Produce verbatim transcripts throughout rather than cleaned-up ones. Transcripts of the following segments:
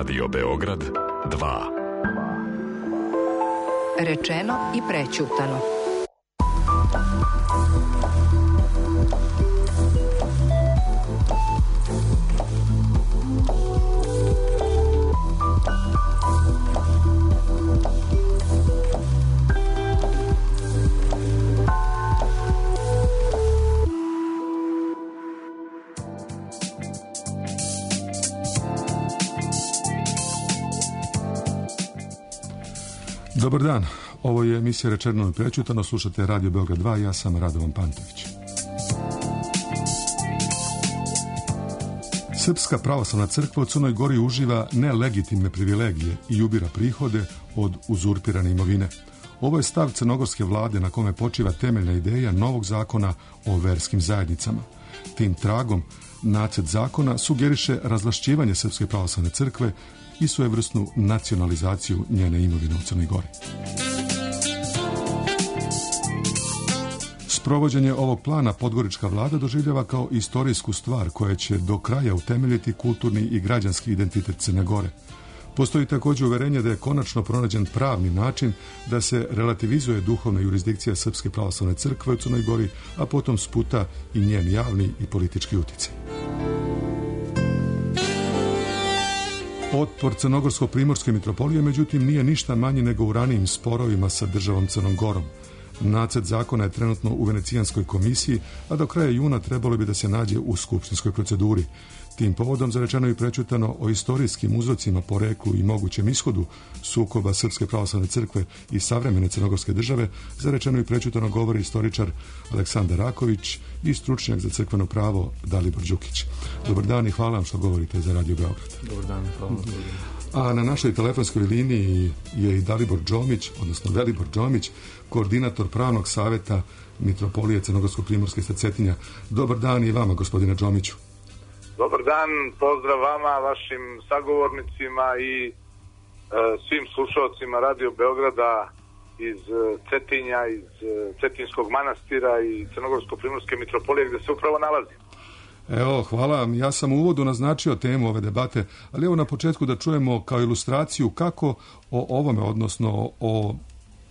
Radio Beograd dva. Rečeno i prećutano. Dobar dan, ovo je emisija Rečeno i prećutano, slušate Radio Beograd dva, ja sam Radovan Pantović. Srpska pravoslavna crkva u Crnoj Gori uživa nelegitimne privilegije i ubira prihode od uzurpirane imovine. Ovo je stav crnogorske vlade na kome počiva temeljna ideja novog zakona o verskim zajednicama. Tim tragom, nacrt zakona sugeriše razvlašćivanje Srpske pravoslavne crkve i svojevrsnu nacionalizaciju njene imovine u Crnoj Gori. Sprovođenje ovog plana podgorička vlada doživljava kao istorijsku stvar koja će do kraja utemeljiti kulturni i građanski identitet Crne Gore. Postoji također uverenje da je konačno pronađen pravni način da se relativizuje duhovna jurisdikcija Srpske pravoslavne crkve u Crnoj Gori, a potom sputa i njen javni i politički utjecaj. Otpor crnogorsko-primorske mitropolije, međutim, nije ništa manji nego u ranijim sporovima sa državom Crnom Gorom. Nacrt zakona je trenutno u Venecijanskoj komisiji, a do kraja juna trebalo bi da se nađe u skupštinskoj proceduri. Tim povodom zarečeno i prećutano o istorijskim uzrocima, poreklu i mogućem ishodu sukoba Srpske pravoslavne crkve i savremene crnogorske države, zarečeno i prećutano govori istoričar Aleksandar Raković i stručnjak za crkveno pravo Dalibor Đukić. Dobar dan i hvala vam što govorite za Radio Beograd. Dobar dan, hvala. A na našoj telefonskoj liniji je i Dalibor Đomić, odnosno Velibor Đomić, koordinator pravnog savjeta Mitropolije Crnogorsko-primorske sa Cetinja. Dobar dan i vama, gospodine Đomiću. Dobar dan, pozdrav vama, vašim sagovornicima i e, svim slušalcima Radio Beograda iz Cetinja, iz Cetinskog manastira i Crnogorsko-primorske mitropolije gdje se upravo nalazim. Evo, hvala. Ja sam u uvodu naznačio temu ove debate, ali evo na početku da čujemo kao ilustraciju kako o ovome, odnosno o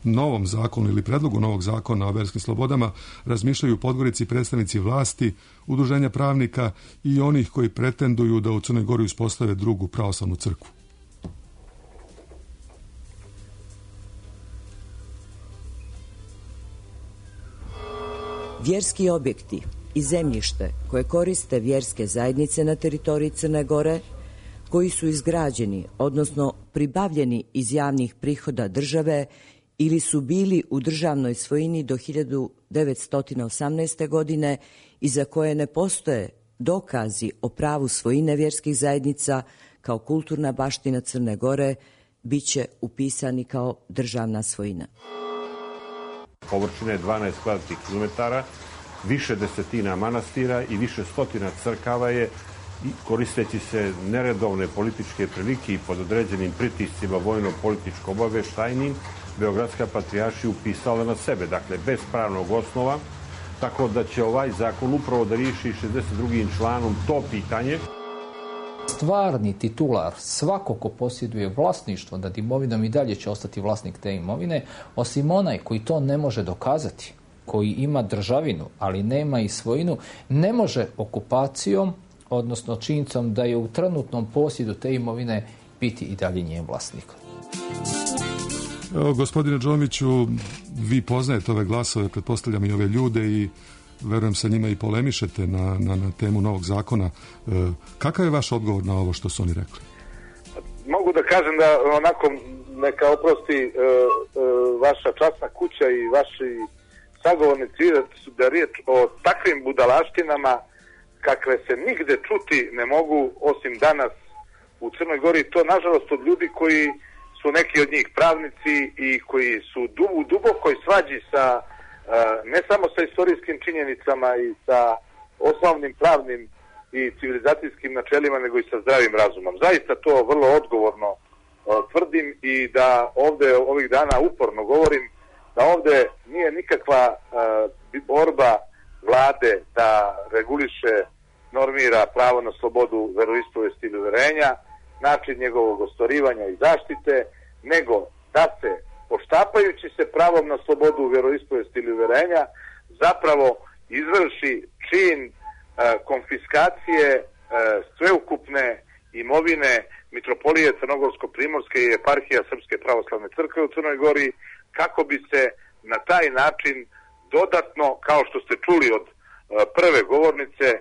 novom zakonu ili predlogu novog zakona o verskim slobodama razmišljaju u Podgorici predstavnici vlasti, udruženja pravnika i onih koji pretenduju da u Crnoj Gori uspostave drugu pravoslavnu crkvu. Vjerski objekti i zemljište koje koriste vjerske zajednice na teritoriji Crne Gore, koji su izgrađeni, odnosno pribavljeni iz javnih prihoda države ili su bili u državnoj svojini do hiljadu devetsto osamnaeste. godine i za koje ne postoje dokazi o pravu svojine vjerskih zajednica kao kulturna baština Crne Gore, bit će upisani kao državna svojina. Površine dvanaest kvadratnih kilometara, više desetina manastira i više stotina crkava je, koristeći se neredovne političke prilike i pod određenim pritiscima vojno-političko-obaveštajnim, Beogradska patrijaršija upisala na sebe, dakle bez pravnog osnova, tako da će ovaj zakon upravo da riješi šezdeset drugim članom to pitanje. Stvarni titular, svako ko posjeduje vlasništvo nad imovinom i dalje će ostati vlasnik te imovine, osim onaj koji to ne može dokazati, koji ima državinu, ali nema i svojinu, ne može okupacijom, odnosno činjenicom da je u trenutnom posjedu te imovine biti i dalje njen vlasnik. Evo, gospodine Đomiću, vi poznajete ove glasove, pretpostavljam i ove ljude i verujem sa njima i polemišete na, na, na temu novog zakona. E, kakav je vaš odgovor na ovo što su oni rekli? Mogu da kažem da onako neka oprosti e, e, vaša časna kuća i vaši sagovornici da riječ o takvim budalaštinama kakve se nigde čuti ne mogu osim danas u Crnoj Gori. To nažalost od ljudi koji su neki od njih pravnici i koji su u dubokoj svađi sa ne samo sa istorijskim činjenicama i sa osnovnim pravnim i civilizacijskim načelima, nego i sa zdravim razumom. Zaista to vrlo odgovorno tvrdim i da ovdje ovih dana uporno govorim da ovdje nije nikakva borba vlade da reguliše, normira pravo na slobodu veroispovesti ili uverenja način njegovog ostvarivanja i zaštite, nego da se, poštapajući se pravom na slobodu vjeroispovesti ili uverenja, zapravo izvrši čin e, konfiskacije e, sveukupne imovine Mitropolije Crnogorsko-Primorske i Eparhija Srpske pravoslavne crkve u Crnoj Gori, kako bi se na taj način dodatno, kao što ste čuli od e, prve govornice, e,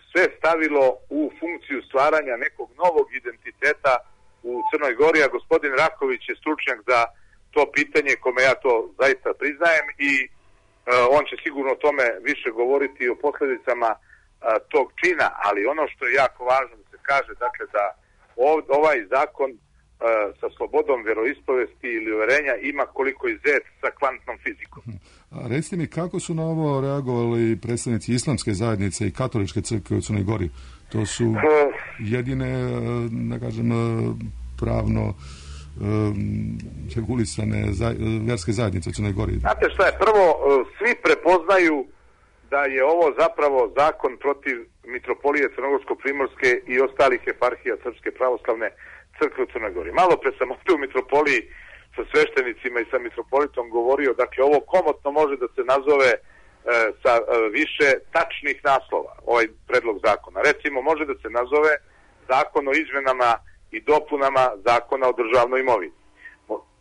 sve stavilo u funkciju stvaranja nekog novog identiteta u Crnoj Gori, a gospodin Raković je stručnjak za to pitanje, kome ja to zaista priznajem, i e, on će sigurno o tome više govoriti o posljedicama e, tog čina, ali ono što je jako važno da se kaže, dakle da ov, ovaj zakon e, sa slobodom vjeroispovesti ili uverenja ima koliko i zec sa kvantnom fizikom. A recite mi, kako su na ovo reagovali predstavnici islamske zajednice i katoličke crkve u Crnoj Gori? To su jedine, da kažem, pravno um, regulisane za, vjerske zajednice u Crnoj Gori. Znate šta je, prvo, svi prepoznaju da je ovo zapravo zakon protiv Mitropolije Crnogorsko-Primorske i ostalih eparhija Srpske pravoslavne crkve u Crnoj Gori. Malo pre sam ovdje u Mitropoliji sa sveštenicima i sa mitropolitom govorio, dakle ovo komotno može da se nazove e, sa e, više tačnih naslova, ovaj predlog zakona. Recimo, može da se nazove zakon o izmenama i dopunama zakona o državnoj imovini.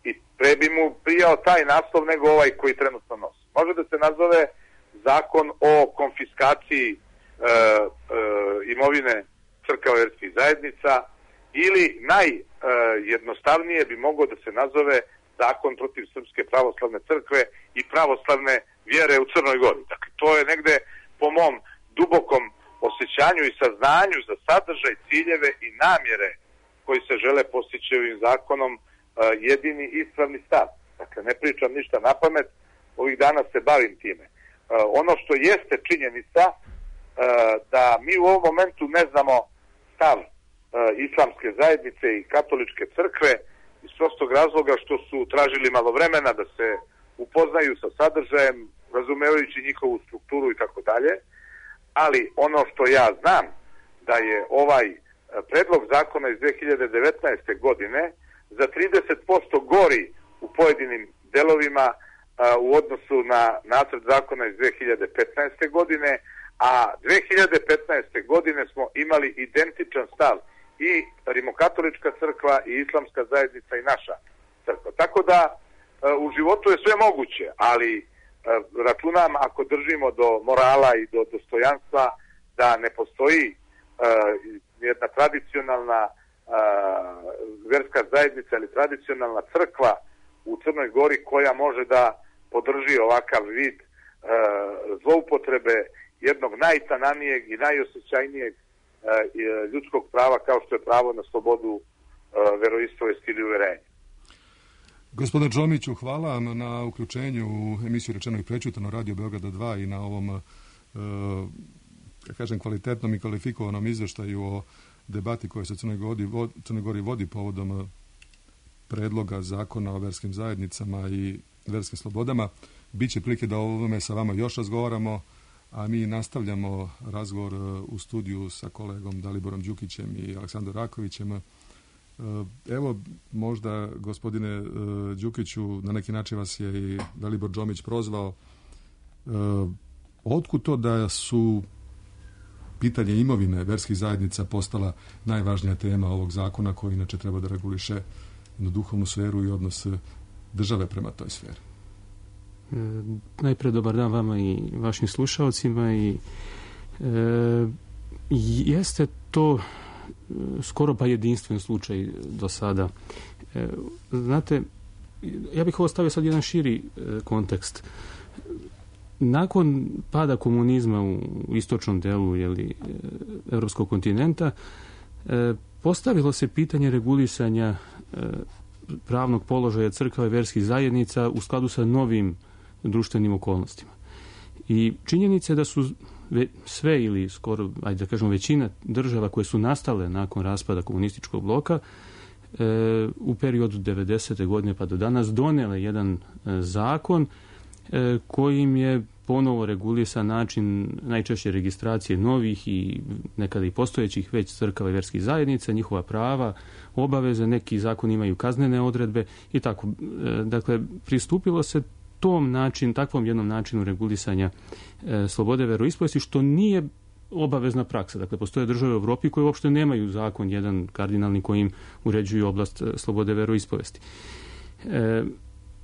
I pre bi mu prijao taj naslov nego ovaj koji trenutno nosi. Može da se nazove zakon o konfiskaciji e, e, imovine crkava vjerskih zajednica, ili najjednostavnije bi mogao da se nazove zakon protiv Srpske pravoslavne crkve i pravoslavne vjere u Crnoj Gori. Dakle, to je negde po mom dubokom osjećanju i saznanju za sadržaj, ciljeve i namjere koji se žele postići ovim zakonom jedini ispravni stav. Dakle, ne pričam ništa na pamet, ovih dana se bavim time. Ono što jeste činjenica da mi u ovom momentu ne znamo stav islamske zajednice i katoličke crkve iz prostog razloga što su tražili malo vremena da se upoznaju sa sadržajem, razumevajući njihovu strukturu i tako dalje, ali ono što ja znam da je ovaj predlog zakona iz dve hiljade devetnaeste godine za trideset posto gori u pojedinim delovima u odnosu na nacrt zakona iz dve hiljade petnaeste godine, a dve hiljade petnaeste godine smo imali identičan stav i Rimokatolička crkva i islamska zajednica i naša crkva. Tako da u životu je sve moguće, ali računam, ako držimo do morala i do dostojanstva, da ne postoji jedna tradicionalna vjerska zajednica ili tradicionalna crkva u Crnoj Gori koja može da podrži ovakav vid zloupotrebe jednog najtananijeg i najosjećajnijeg ljudskog prava kao što je pravo na slobodu veroispovesti ili uverenja. Gospodine Džomiću, hvala vam na uključenju u emisiju Rečeno i prečutano Radio Beograda dva i na ovom, ja kažem, kvalitetnom i kvalifikovanom izveštaju o debati koja se u Crnoj Gori, Crnoj Gori vodi povodom predloga zakona o verskim zajednicama i verskim slobodama. Biće prilike da o ovome sa vama još razgovaramo, a mi nastavljamo razgovor u studiju sa kolegom Daliborom Đukićem i Aleksandrom Rakovićem. Evo, možda, gospodine Đukiću, na neki način vas je i Dalibor Džomić prozvao. Otkud to da su pitanje imovine verskih zajednica postala najvažnija tema ovog zakona koji inače treba da reguliše na duhovnu sferu i odnos države prema toj sferi? E, najpre dobar dan vama i vašim slušalcima i e, jeste to skoro pa jedinstven slučaj do sada. E, znate, ja bih ovo stavio sad jedan širi e, kontekst. Nakon pada komunizma u istočnom delu jeli, evropskog kontinenta e, postavilo se pitanje regulisanja e, pravnog položaja crkava i verskih zajednica u skladu sa novim društvenim okolnostima. I činjenica je da su sve ili skoro, ajde da kažemo, većina država koje su nastale nakon raspada komunističkog bloka e, u periodu devedesete godine pa do danas donele jedan e, zakon e, kojim je ponovo regulisa način najčešće registracije novih i nekada i postojećih već crkava i vjerskih zajednica, njihova prava, obaveze, neki zakoni imaju kaznene odredbe i tako. Dakle, pristupilo se tom način, takvom jednom načinu regulisanja e, slobode veroispovesti, što nije obavezna praksa. Dakle, postoje države u Europi koje uopšte nemaju zakon jedan kardinalni kojim uređuju oblast slobode veroispovesti. E,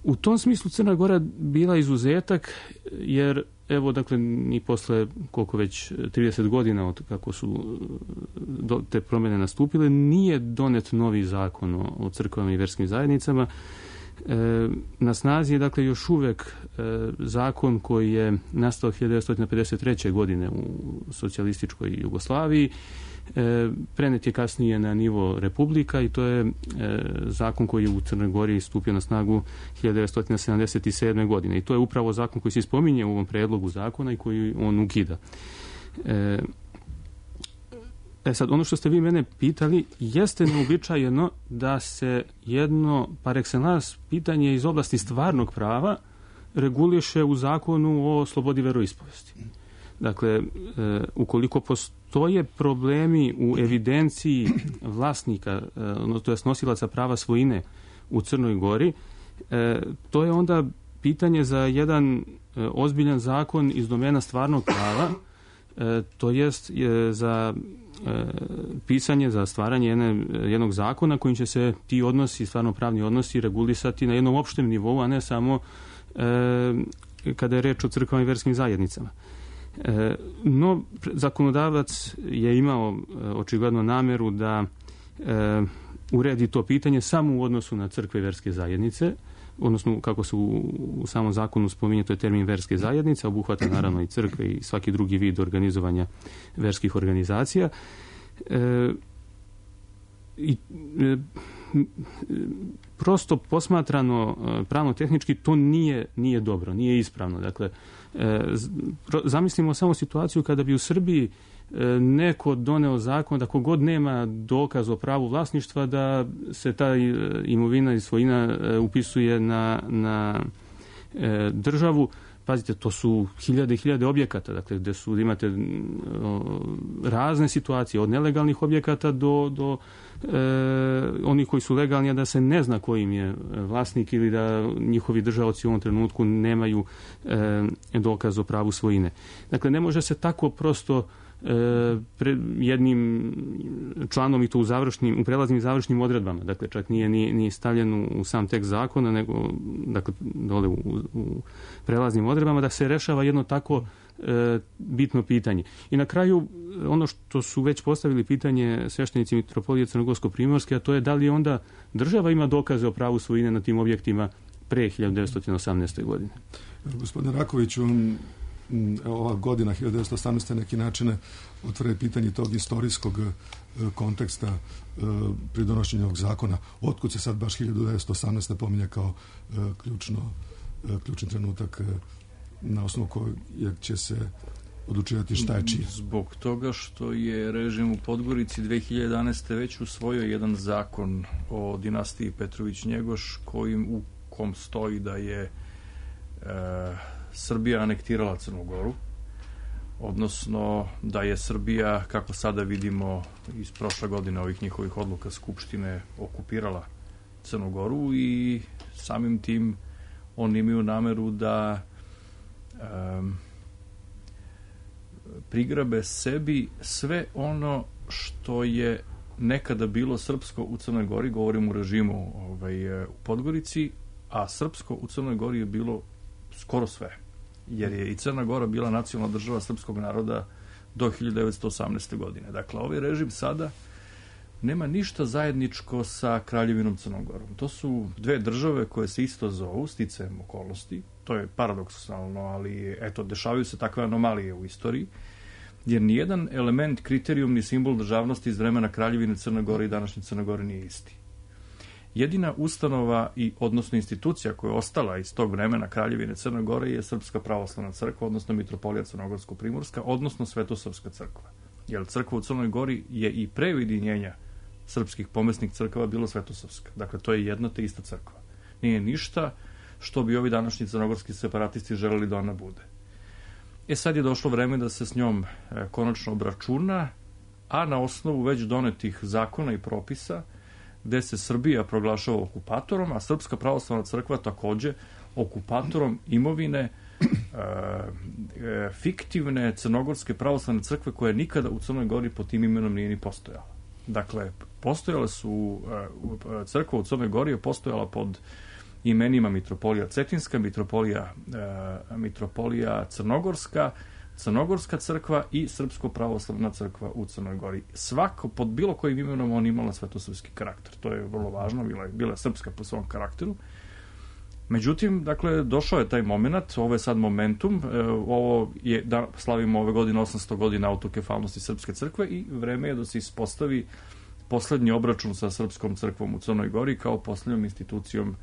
u tom smislu Crna Gora bila izuzetak, jer evo, dakle, ni posle koliko već trideset godina od kako su do, te promjene nastupile, nije donet novi zakon o, o crkvama i vjerskim zajednicama. E, na snazi je, dakle, još uvek e, zakon koji je nastao hiljadu devetsto pedeset treće. godine u socijalističkoj Jugoslaviji. E, prenet je kasnije na nivo republika i to je e, zakon koji je u Crnoj Gori stupio na snagu hiljadu devetsto sedamdeset sedme. godine. I to je upravo zakon koji se spominje u ovom predlogu zakona i koji on ukida. E, E sad, ono što ste vi mene pitali, jeste neobičajeno da se jedno par excellence pitanje iz oblasti stvarnog prava reguliše u zakonu o slobodi veroispovesti. Dakle, e, ukoliko postoje problemi u evidenciji vlasnika, e, to jest nosilaca prava svojine u Crnoj Gori, e, to je onda pitanje za jedan e, ozbiljan zakon iz domena stvarnog prava, e, to jest e, za e, pisanje, za stvaranje jedne, jednog zakona kojim će se ti odnosi, stvarno pravni odnosi, regulisati na jednom opštem nivou, a ne samo e, kada je reč o crkvama i vjerskim zajednicama. E, no, zakonodavac je imao e, očigledno nameru da e, uredi to pitanje samo u odnosu na crkve i vjerske zajednice, odnosno kako se u, u samom zakonu spominje, to je termin verske zajednice, obuhvata naravno i crkve i svaki drugi vid organizovanja verskih organizacija. E, i, e, prosto posmatrano pravno-tehnički to nije, nije dobro, nije ispravno. Dakle, e, zamislimo samo situaciju kada bi u Srbiji neko doneo zakon da kogod nema dokaz o pravu vlasništva da se ta imovina i svojina upisuje na, na e, državu. Pazite, to su hiljade i hiljade objekata, dakle, gde su, imate o, razne situacije, od nelegalnih objekata do, do e, onih koji su legalni, a da se ne zna ko im je vlasnik ili da njihovi držaoci u ovom trenutku nemaju e, dokaz o pravu svojine. Dakle, ne može se tako prosto pred jednim članom i to u završnim, u prelaznim i završnim odredbama. Dakle, čak nije ni, ni stavljen u sam tekst zakona, nego dakle, dole u, u prelaznim odredbama, da se rešava jedno tako e, bitno pitanje. I na kraju, ono što su već postavili pitanje sveštenici Mitropolije Crnogorsko-Primorske, a to je da li onda država ima dokaze o pravu svojine na tim objektima pre hiljadu devetsto osamnaeste. godine. Gospodine Rakoviću, ova godina hiljadu devetsto osamnaeste. neki način otvore pitanje tog istorijskog konteksta pri donošenju ovog zakona. Otkud se sad baš hiljadu devetsto osamnaeste. pominje kao ključno, ključni trenutak na osnovu kojeg će se odlučivati šta je čije? Zbog toga što je režim u Podgorici dve hiljade jedanaeste. već usvojio jedan zakon o dinastiji Petrović-Njegoš kojim, u kom stoji da je e, Srbija anektirala Crnu Goru, odnosno da je Srbija, kako sada vidimo iz prošle godine ovih njihovih odluka Skupštine, okupirala Crnu Goru i samim tim oni imaju nameru da um, prigrabe sebi sve ono što je nekada bilo srpsko u Crnoj Gori, govorim u režimu ovaj, u Podgorici, a srpsko u Crnoj Gori je bilo skoro sve, jer je i Crna Gora bila nacionalna država srpskog naroda do hiljadu devetsto osamnaeste. godine. Dakle, ovaj režim sada nema ništa zajedničko sa Kraljevinom Crnom Gorom. To su dve države koje se isto zovu, sticajem okolnosti. To je paradoksalno, ali eto, dešavaju se takve anomalije u istoriji, jer nijedan element, kriterijum ni simbol državnosti iz vremena Kraljevine Crne Gore i današnje Crne Gore nije isti. Jedina ustanova i odnosno institucija koja je ostala iz tog vremena Kraljevine Crne Gore je Srpska pravoslavna crkva, odnosno Mitropolija Crnogorsko-Primorska, odnosno Svetosavska crkva. Jer crkva u Crnoj Gori je i pre ujedinjenja srpskih pomesnih crkava bilo Svetosavska. Dakle, to je jedna te ista crkva. Nije ništa što bi ovi današnji crnogorski separatisti želeli da ona bude. E sad je došlo vreme da se s njom e, konačno obračuna, a na osnovu već donetih zakona i propisa, gde se Srbija proglašava okupatorom, a Srpska pravoslavna crkva takođe okupatorom imovine e, e, fiktivne crnogorske pravoslavne crkve koja nikada u Crnoj Gori pod tim imenom nije ni postojala. Dakle, postojale su, e, crkva u Crnoj Gori je postojala pod imenima Mitropolija Cetinska, Mitropolija, e, Mitropolija Crnogorska, Crnogorska crkva i Srpsko pravoslavna crkva u Crnoj Gori. Svako, pod bilo kojim imenom on imala svetosrpski karakter. To je vrlo važno, bila je, bila je srpska po svom karakteru. Međutim, dakle, došao je taj moment, ovo je sad momentum, e, ovo je, da slavimo ove godine osamsto godina autokefalnosti Srpske crkve i vreme je da se ispostavi poslednji obračun sa Srpskom crkvom u Crnoj Gori kao poslednjom institucijom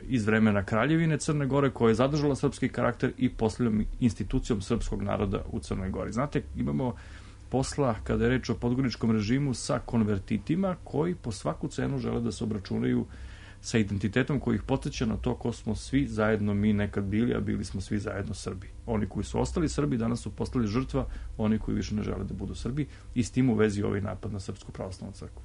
iz vremena Kraljevine Crne Gore koja je zadržala srpski karakter i posljednjom institucijom srpskog naroda u Crnoj Gori. Znate, imamo posla kada je reč o podgoričkom režimu sa konvertitima koji po svaku cenu žele da se obračunaju sa identitetom koji ih podsjeća na to ko smo svi zajedno mi nekad bili, a bili smo svi zajedno Srbi. Oni koji su ostali Srbi danas su postali žrtva, oni koji više ne žele da budu Srbi i s tim u vezi ovaj napad na Srpsku pravoslavnu crkvu.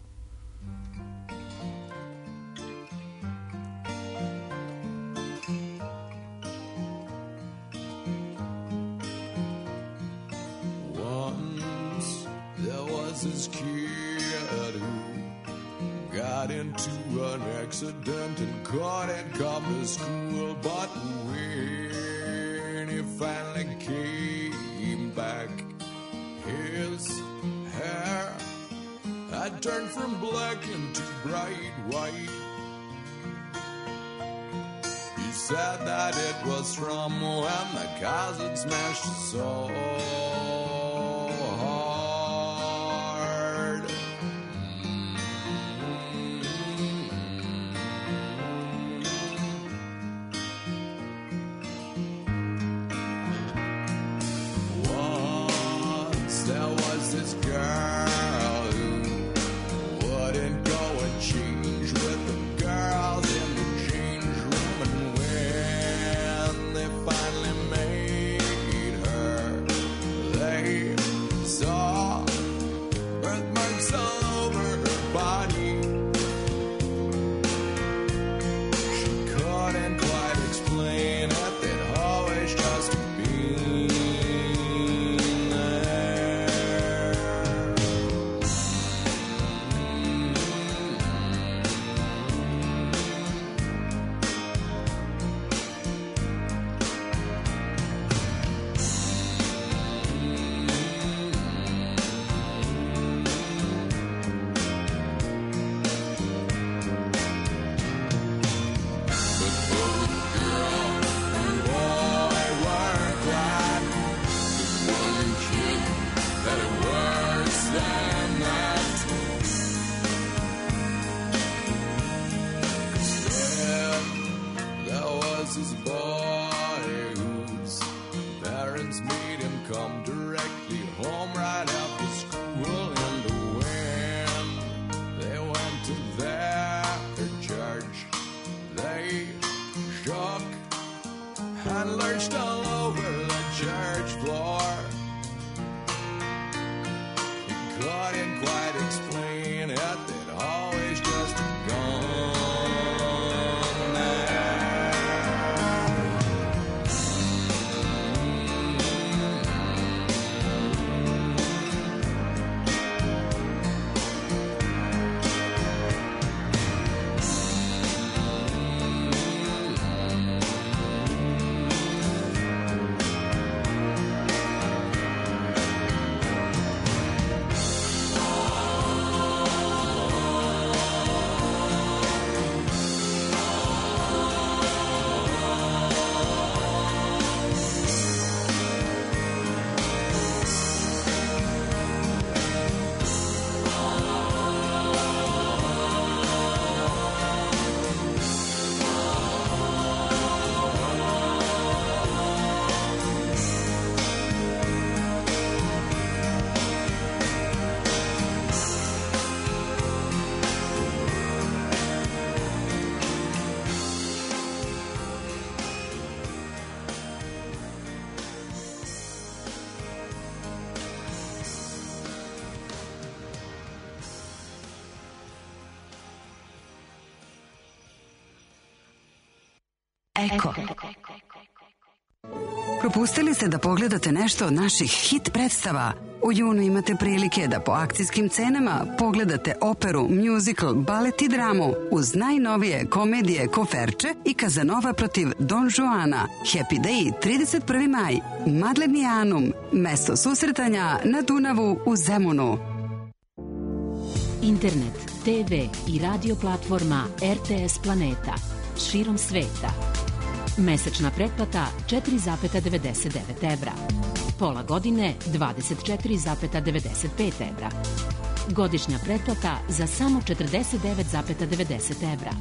This kid who got into an accident and couldn't come to school, but when he finally came back, his hair had turned from black into bright white. He said that it was from when the cousin smashed his soul. Eko. Propustili ste da pogledate nešto od naših hit predstava? U junu imate prilike da po akcijskim cenama pogledate operu, musical, balet i dramu uz najnovije komedije Koferče i Kazanova protiv Don Juana. Happy Day, trideset prvi maj. Madlenianum, mesto susretanja na Dunavu u Zemunu. Internet, te ve i radio platforma er te es Planeta. Širom sveta. Mesečna pretplata četiri zarez devedeset devet evra. Pola godine dvadeset četiri zarez devedeset pet evra. Godišnja pretplata za samo četrdeset devet zarez devedeset evra.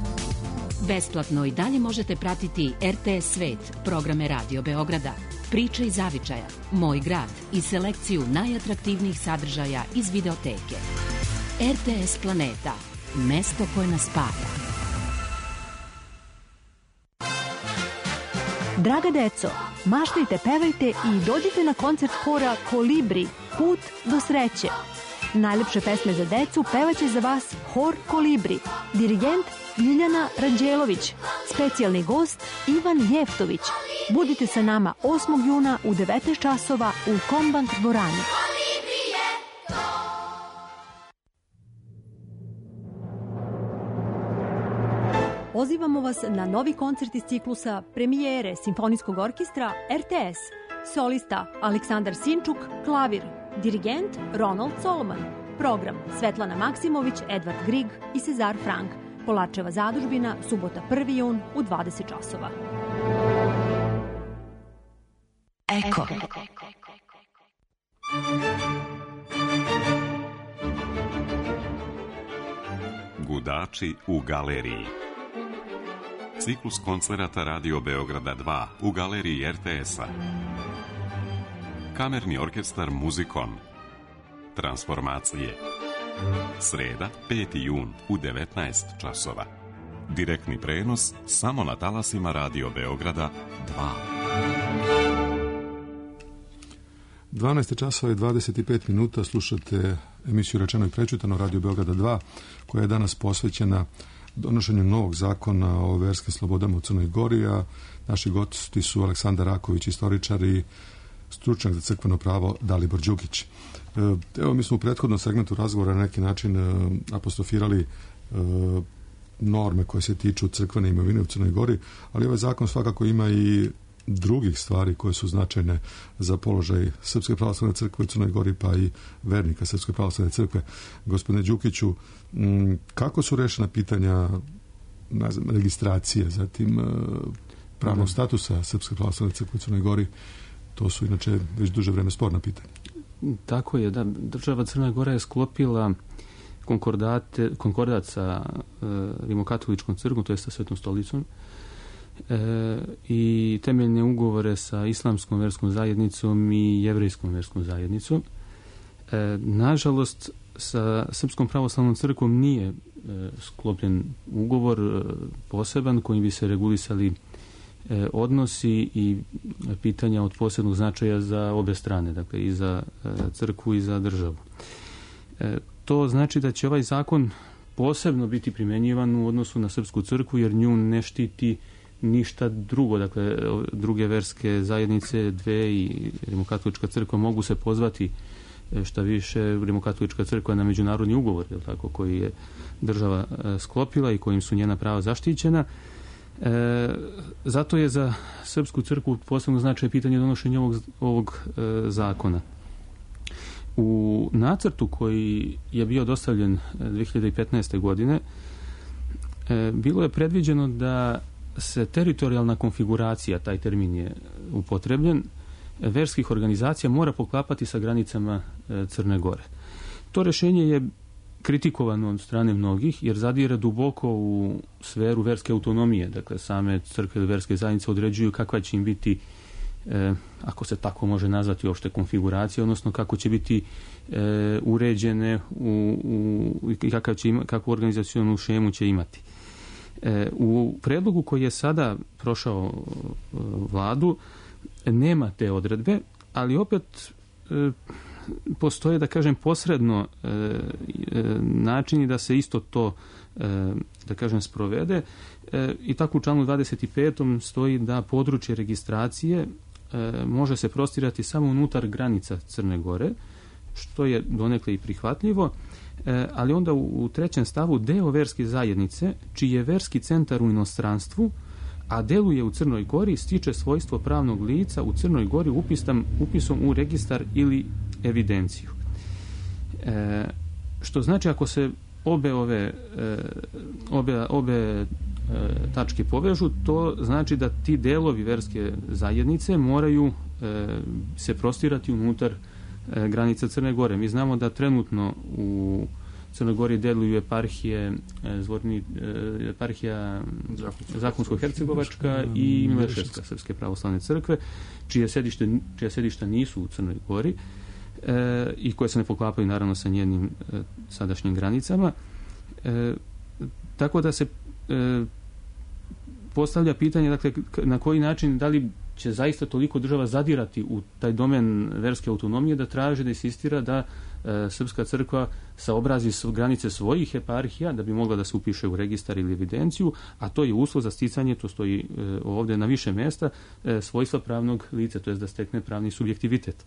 Besplatno i dalje možete pratiti er te es Svet, programe Radio Beograda, Priče iz zavičaja, Moj grad i selekciju najatraktivnijih sadržaja iz videoteke. er te es Planeta, mesto koje nas spaja. Draga deco, maštajte, pevajte i dođite na koncert hora Kolibri, Put do sreće. Najlepše pesme za decu pevaće za vas hor Kolibri, dirigent Ljiljana Ranđelović, specijalni gost Ivan Jeftović. Budite sa nama osmog juna u devetnaest časova u Kombank dvorani. Pozivamo vas na novi koncert iz ciklusa premijere Simfonijskog orkestra er te es. Solista Aleksandar Sinčuk, klavir. Dirigent Ronald Solomon. Program Svetlana Maksimović, Edvard Grig i Cezar Frank. Polačeva zadužbina, subota prvi jun u dvadeset časova. Eko. Gudači u galeriji. Ciklus koncerata Radio Beograda dva u galeriji er te es-a. Kamerni orkestar Muzikon. Transformacije. Sreda, peti jun u devetnaest časova. Direktni prenos samo na talasima Radio Beograda dva. dvanaest časova i dvadeset pet minuta, slušate emisiju Rečeno i prečutano Radio Beograda dva, koja je danas posvećena donošenju novog zakona o verskim slobodama u Crnoj Gori, a naši gosti su Aleksandar Raković, istoričar, i stručnjak za crkveno pravo Dalibor Đukić. Evo, mi smo u prethodnom segmentu razgovora na neki način apostrofirali norme koje se tiču crkvene imovine u Crnoj Gori, ali ovaj zakon svakako ima i drugih stvari koje su značajne za položaj Srpske pravoslavne crkve u Crnoj Gori, pa i vernika Srpske pravoslavne crkve. Gospodine Đukiću, kako su rešena pitanja, ne znam, registracije, zatim pravnog statusa Srpske pravoslavne crkve u Crnoj Gori? To su inače već duže vreme sporna pitanja. Tako je, da. Država Crna Gora je sklopila konkordat sa e, Rimokatoličkom crkvom, to je sa Svetom stolicom, e, i temeljne ugovore sa Islamskom verskom zajednicom i Jevrejskom verskom zajednicom. E, nažalost, sa Srpskom pravoslavnom crkvom nije e, sklopljen ugovor e, poseban kojim bi se regulisali e, odnosi i pitanja od posebnog značaja za obe strane, dakle i za e, crkvu i za državu. E, to znači da će ovaj zakon posebno biti primjenjivan u odnosu na Srpsku crkvu, jer nju ne štiti ništa drugo. Dakle, druge verske zajednice, dve i Rimokatolička crkva mogu se pozvati, šta više, Rimokatolička crkva na međunarodni ugovor, je tako, koji je država sklopila i kojim su njena prava zaštićena. E, zato je za Srpsku crkvu posebno značaj pitanje donošenja ovog, ovog e, zakona. U nacrtu koji je bio dostavljen dve hiljade petnaeste. godine e, bilo je predviđeno da se teritorijalna konfiguracija, taj termin je upotrebljen, verskih organizacija mora poklapati sa granicama e, Crne Gore. To rješenje je kritikovano od strane mnogih, jer zadire duboko u sferu verske autonomije. Dakle, same crkve ili verske zajednice određuju kakva će im biti, e, ako se tako može nazvati, uopšte konfiguracija, odnosno kako će biti e, uređene u, u, i kakav će ima, kakvu organizacionu šemu će imati. E, u predlogu koji je sada prošao e, vladu nema te odredbe, ali opet e, postoje, da kažem, posredno e, e, načini da se isto to da kažem, sprovede. I tako u članu dvadeset petom stoji da područje registracije može se prostirati samo unutar granica Crne Gore, što je donekle i prihvatljivo, ali onda u trećem stavu deo verske zajednice, čiji je verski centar u inostranstvu, a deluje u Crnoj Gori, stiče svojstvo pravnog lica u Crnoj Gori upisam, upisom u registar ili evidenciju. E, što znači ako se obe ove e, obe, obe e, tačke povežu, to znači da ti delovi verske zajednice moraju e, se prostirati unutar e, granica Crne Gore. Mi znamo da trenutno u Crnoj Gori deluju eparhije Zvorni, eparhija Zakonsko-Hercegovačka i Mileševska Srpske pravoslavne crkve, čije sedište, čije sedišta nisu u Crnoj Gori e, i koje se ne poklapaju naravno sa njenim e, sadašnjim granicama. E, tako da se e, postavlja pitanje, dakle, na koji način, da li će zaista toliko država zadirati u taj domen verske autonomije da traže, da insistira da e, Srpska crkva saobrazi s granice svojih eparhija da bi mogla da se upiše u registar ili evidenciju, a to je uslov za sticanje, to stoji e, ovdje na više mjesta, e, svojstva pravnog lica, to je da stekne pravni subjektivitet.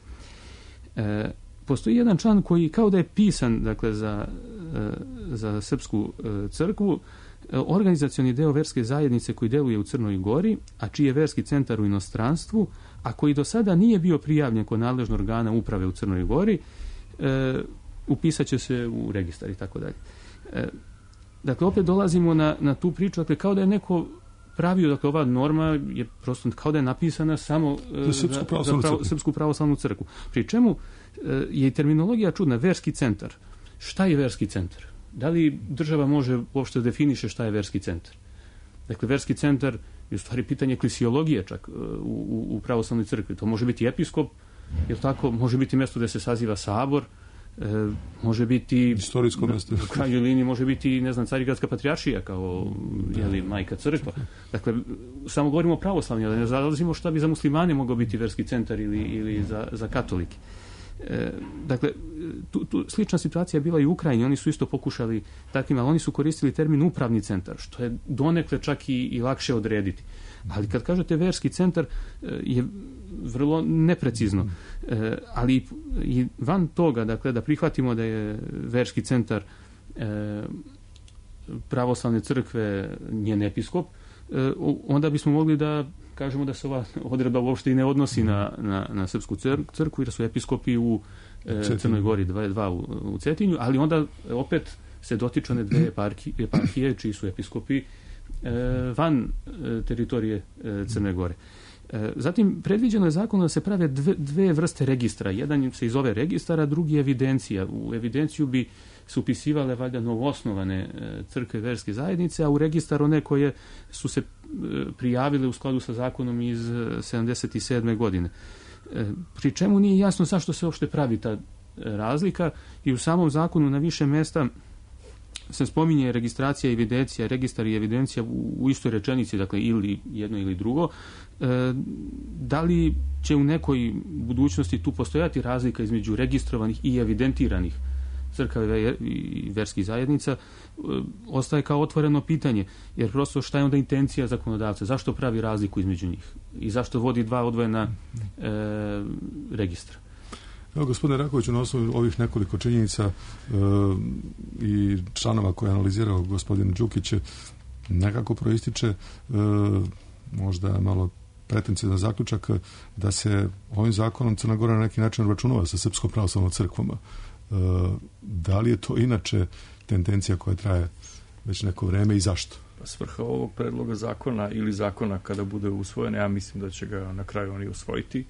E, postoji jedan član koji kao da je pisan, dakle, za, e, za Srpsku e, crkvu, organizacioni deo verske zajednice koji deluje u Crnoj Gori, a čiji je verski centar u inostranstvu, a koji do sada nije bio prijavljen kod nadležnog organa uprave u Crnoj Gori, e, upisat će se u registar i tako dalje. E, dakle, opet dolazimo na, na tu priču, dakle, kao da je neko pravio, dakle, ova norma je prosto kao da je napisana samo e, za, Srpsku pravoslavnu, za pravo, Srpsku pravoslavnu crkvu. Pri čemu e, je i terminologija čudna, verski centar. Šta je verski centar? Da li država može uopšte definiše šta je verski centar? Dakle, verski centar je u stvari pitanje eklesiologije čak u, u, u pravoslavnoj crkvi. To može biti episkop, jer tako, može biti mjesto gdje se saziva sabor, e, može biti istorijsko mjesto. U krajnjoj liniji može biti, ne znam, Carigradska patrijaršija kao jeli, majka crkva. Dakle, samo govorimo o pravoslavnju, ali ne zalazimo šta bi za muslimane mogao biti verski centar ili, ili za, za katolike. E, dakle, tu, tu slična situacija je bila i u Ukrajini, oni su isto pokušali takvim, ali oni su koristili termin upravni centar, što je donekle čak i, i lakše odrediti. Ali kad kažete verski centar je vrlo neprecizno. E, ali i van toga, dakle, da prihvatimo da je verski centar e, pravoslavne crkve njen episkop, e, onda bismo mogli da kažemo da se ova odredba uopšte i ne odnosi na, na, na Srpsku crkvu, jer su episkopi u e, Crnoj Gori dva, dva u, u Cetinju, ali onda opet se dotiču one dve eparhije, eparhije čiji su episkopi e, van e, teritorije e, Crne Gore. E, zatim, predviđeno je zakonom da se prave dve, dve vrste registra. Jedan se iz ove registara, drugi evidencija. U evidenciju bi su upisivale valjda novoosnovane crkve verske zajednice, a u registar one koje su se prijavile u skladu sa zakonom iz sedamdeset sedme godine. Pri čemu nije jasno zašto se uopšte pravi ta razlika i u samom zakonu na više mjesta se spominje registracija i evidencija, registar i evidencija u, u istoj rečenici, dakle ili jedno ili drugo. E, da li će u nekoj budućnosti tu postojati razlika između registrovanih i evidentiranih crkava i verskih zajednica, ostaje kao otvoreno pitanje, jer prosto šta je onda intencija zakonodavca, zašto pravi razliku između njih i zašto vodi dva odvojena e, registra. Evo, gospodine Rakoviću, na osnovu ovih nekoliko činjenica e, i članova koje je analizirao gospodin Đukić, nekako proističe e, možda malo pretencijazan zaključak da se ovim zakonom Crna Gora na neki način obračunava sa Srpskom pravoslavnom crkvom. Da li je to inače tendencija koja traje već neko vreme i zašto? Svrha ovog predloga zakona ili zakona kada bude usvojen, ja mislim da će ga na kraju oni usvojiti,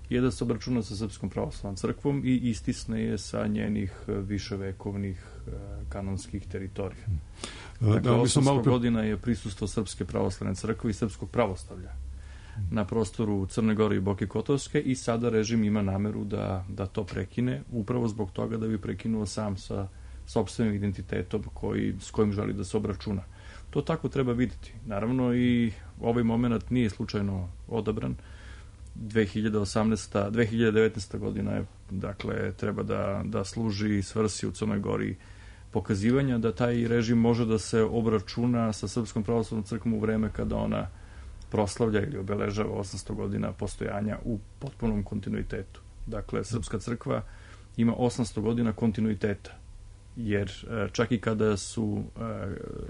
je da se obračuna sa Srpskom pravoslavnom crkvom i istisne je sa njenih viševekovnih kanonskih teritorija. Dakle, da, osamsto godina je prisustvo Srpske pravoslavne crkve i srpskog pravoslavlja na prostoru Crne Gore i Boke Kotorske i sada režim ima nameru da, da to prekine, upravo zbog toga da bi prekinuo sam sa sopstvenim identitetom koji, s kojim želi da se obračuna. To tako treba vidjeti. Naravno i ovaj moment nije slučajno odabran. dve hiljade osamnaesta. dve hiljade devetnaesta. godina je, dakle, treba da, da služi svrsi u Crnoj Gori pokazivanja da taj režim može da se obračuna sa Srpskom pravoslavnom crkvom u vreme kada ona proslavlja ili obeležava osamsto godina postojanja u potpunom kontinuitetu. Dakle, Srpska crkva ima osamsto godina kontinuiteta, jer čak i kada su,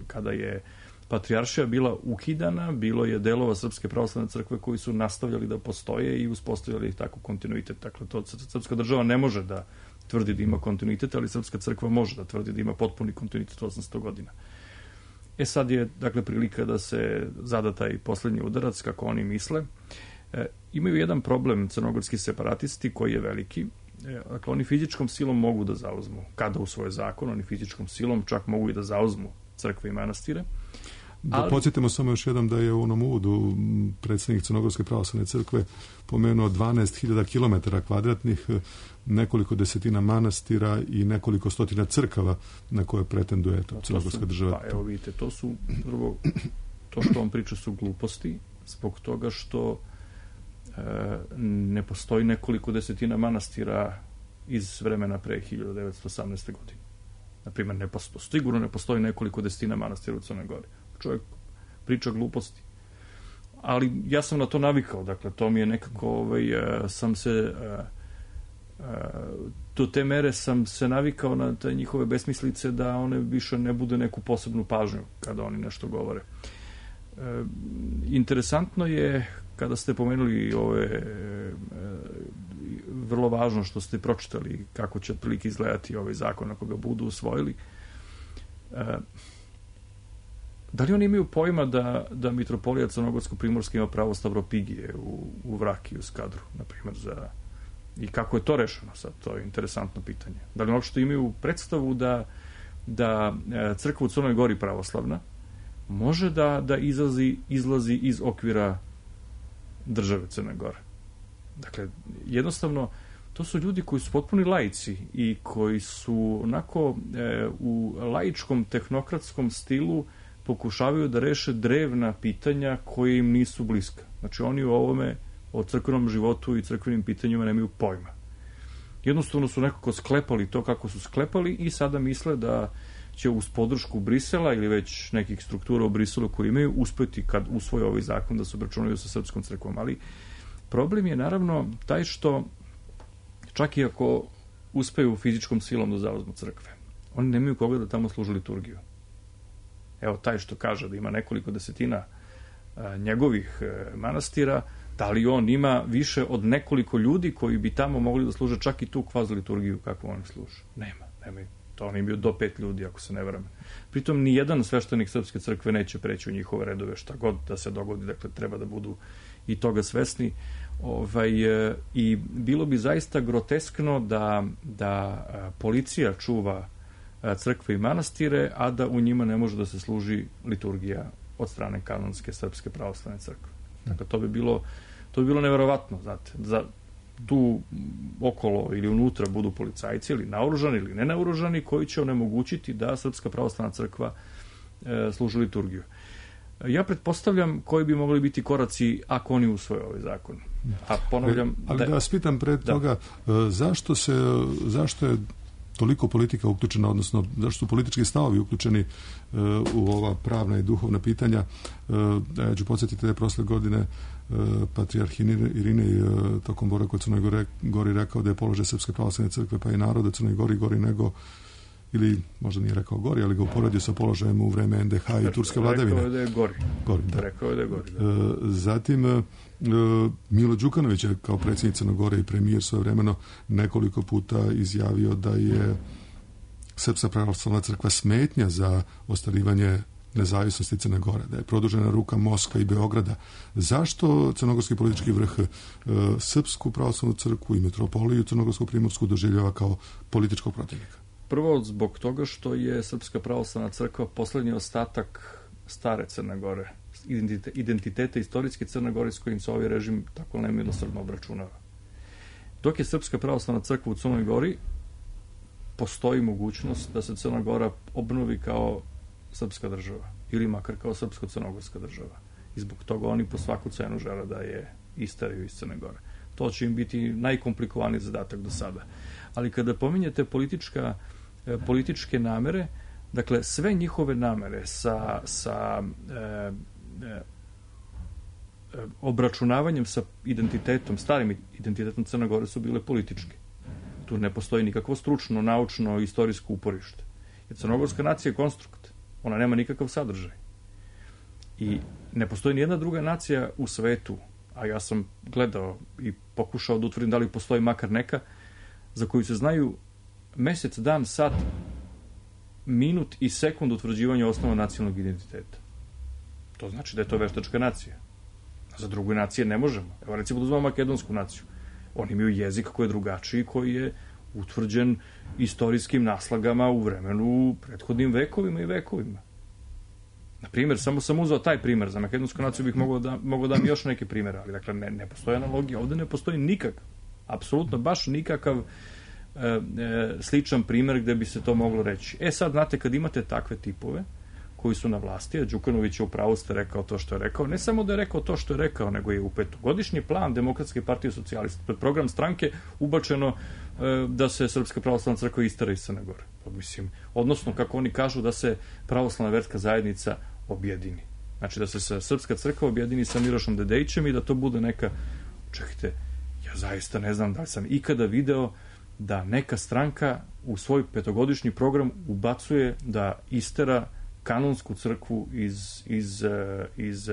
kada je patrijaršija bila ukidana, bilo je delova Srpske pravoslavne crkve koji su nastavljali da postoje i uspostavljali tako kontinuitet. Dakle, to srpska država ne može da tvrdi da ima kontinuitet, ali Srpska crkva može da tvrdi da ima potpuni kontinuitet osamsto godina. E sad je, dakle, prilika da se zada taj poslednji udarac, kako oni misle. E, imaju jedan problem crnogorski separatisti koji je veliki. E, dakle, oni fizičkom silom mogu da zauzmu, kada u svoj zakon, oni fizičkom silom čak mogu i da zauzmu crkve i manastire. Da ali... podsjetimo samo još jednom da je u onom uvodu predsjednik Crnogorske pravoslavne crkve pomenuo dvanaest hiljada kilometara kvadratnih, nekoliko desetina manastira i nekoliko stotina crkava na koje pretenduje to crnogorska država. Pa evo vidite, to su prvo, to što on priča su gluposti, zbog toga što e, ne postoji nekoliko desetina manastira iz vremena pre hiljadu devetsto osamnaeste. godine. Naprimjer, ne postoji, sigurno ne postoji nekoliko desetina manastira u Crnoj Gori. Čovjek priča gluposti. Ali ja sam na to navikao, dakle, to mi je nekako, ovaj, sam se, do te mere sam se navikao na te njihove besmislice da one više ne bude neku posebnu pažnju kada oni nešto govore. Interesantno je, kada ste pomenuli ove, vrlo važno što ste pročitali kako će otprilike izgledati ovaj zakon ako ga budu usvojili. Da li oni imaju pojma da, da mitropolija Crnogorsko-Primorska ima pravo stavropigije u, u Vraki, u Skadru, na primjer, za... I kako je to rešeno sad? To je interesantno pitanje. Da li uopšte imaju predstavu da, da crkva u Crnoj Gori pravoslavna može da, da izlazi, izlazi iz okvira države Crne Gore? Dakle, jednostavno, to su ljudi koji su potpuni laici i koji su onako e, u laičkom tehnokratskom stilu pokušavaju da reše drevna pitanja koje im nisu bliska. Znači, oni u ovome o crkvenom životu i crkvenim pitanjima nemaju pojma. Jednostavno su nekako sklepali to kako su sklepali i sada misle da će uz podršku Brisela ili već nekih struktura u Briselu koji imaju uspeti kad usvoje ovaj zakon da se obračunaju sa srpskom crkvom. Ali problem je naravno taj što čak i ako uspeju fizičkom silom da zauzmu crkve, oni nemaju koga da tamo služe liturgiju. Evo, taj što kaže da ima nekoliko desetina a, njegovih e, manastira, da li on ima više od nekoliko ljudi koji bi tamo mogli da služe čak i tu kvazi liturgiju kako oni služe? Nema, nema. To oni imaju do pet ljudi, ako se ne varam. Pritom, ni jedan sveštenik Srpske crkve neće preći u njihove redove, šta god da se dogodi, dakle, treba da budu i toga svesni. Ovaj, e, I bilo bi zaista groteskno da, da a, policija čuva crkve i manastire, a da u njima ne može da se služi liturgija od strane kanonske Srpske pravoslavne crkve. Dakle, to bi bilo, to bi bilo neverovatno, znate, za tu okolo ili unutra budu policajci ili naoružani ili nenaoružani koji će onemogućiti da Srpska pravoslavna crkva e, služi liturgiju. Ja pretpostavljam koji bi mogli biti koraci ako oni usvoje ovaj zakon. A ponavljam... Ali da, da vas pitam pred da. toga, zašto se, zašto je toliko politika uključena, odnosno zašto su politički stavovi uključeni uh, u ova pravna i duhovna pitanja. Uh, ja ću podsjetiti da je prošle godine uh, patrijarh Irinej uh, tokom boravka u Crnoj Gori, Gori rekao da je položaj Srpske pravoslavne crkve pa i naroda Crnoj Gori gori nego, ili možda nije rekao gori, ali ga uporedio sa položajem u vreme en de ha i turske vladavine. Rekao je da je gori. gori da. Rekao je da je gori. Da. Uh, zatim uh, Milo Đukanović je kao predsjednik Crne Gore i premijer svojevremeno nekoliko puta izjavio da je Srpska pravoslavna crkva smetnja za ostvarivanje nezavisnosti Crne Gore, da je produžena ruka Moskva i Beograda. Zašto crnogorski politički vrh uh, Srpsku pravoslavnu crkvu i metropoliju Crnogorsku Primorsku doživljava kao političkog protivnika? Prvo zbog toga što je Srpska pravoslavna crkva poslednji ostatak stare Crne Gore, identitete istorijske Crne Gore s kojim se ovaj režim tako nemilosrdno obračunava. Dok je Srpska pravoslavna crkva u Crnoj Gori, postoji mogućnost da se Crna Gora obnovi kao srpska država ili makar kao srpsko-crnogorska država. I zbog toga oni po svaku cenu žele da je isteriju iz Crne Gore. To će im biti najkomplikovaniji zadatak do sada. Ali kada pominjete politička e, političke namere, dakle sve njihove namere sa, sa e, e, obračunavanjem sa identitetom, starim identitetom Crne Gore su bile političke. Tu ne postoji nikakvo stručno, naučno, istorijsko uporište. Jer crnogorska nacija je konstrukt. Ona nema nikakav sadržaj. I ne postoji nijedna druga nacija u svetu, a ja sam gledao i pokušao da utvrdim da li postoji makar neka, za koju se znaju mesec, dan, sat, minut i sekund utvrđivanja osnova nacionalnog identiteta. To znači da je to veštačka nacija. Za druge nacije ne možemo. Evo recimo da uzmemo makedonsku naciju. Oni imaju jezik koji je drugačiji, koji je utvrđen istorijskim naslagama u vremenu prethodnim vekovima i vekovima. Na primjer, samo sam uzeo taj primjer, za makedonsku naciju bih mogao da, mogao da mi još neke primjere, ali dakle ne, ne postoji analogija, ovdje ne postoji nikakav, apsolutno baš nikakav e, e, sličan primjer gdje bi se to moglo reći. E sad, znate, kad imate takve tipove koji su na vlasti, a Đukanović je u pravu ste rekao to što je rekao, ne samo da je rekao to što je rekao, nego je u petogodišnji plan Demokratske partije socijalista, pred program stranke ubačeno e, da se Srpska pravoslavna crkva istera iz Crne Gore. Pa, mislim, odnosno, kako oni kažu, da se pravoslavna verska zajednica objedini. Znači da se sa Srpska crkva objedini sa Milošom Dedejićem i da to bude neka, čekajte, ja zaista ne znam da li sam ikada video da neka stranka u svoj petogodišnji program ubacuje da istera kanonsku crkvu iz, iz, iz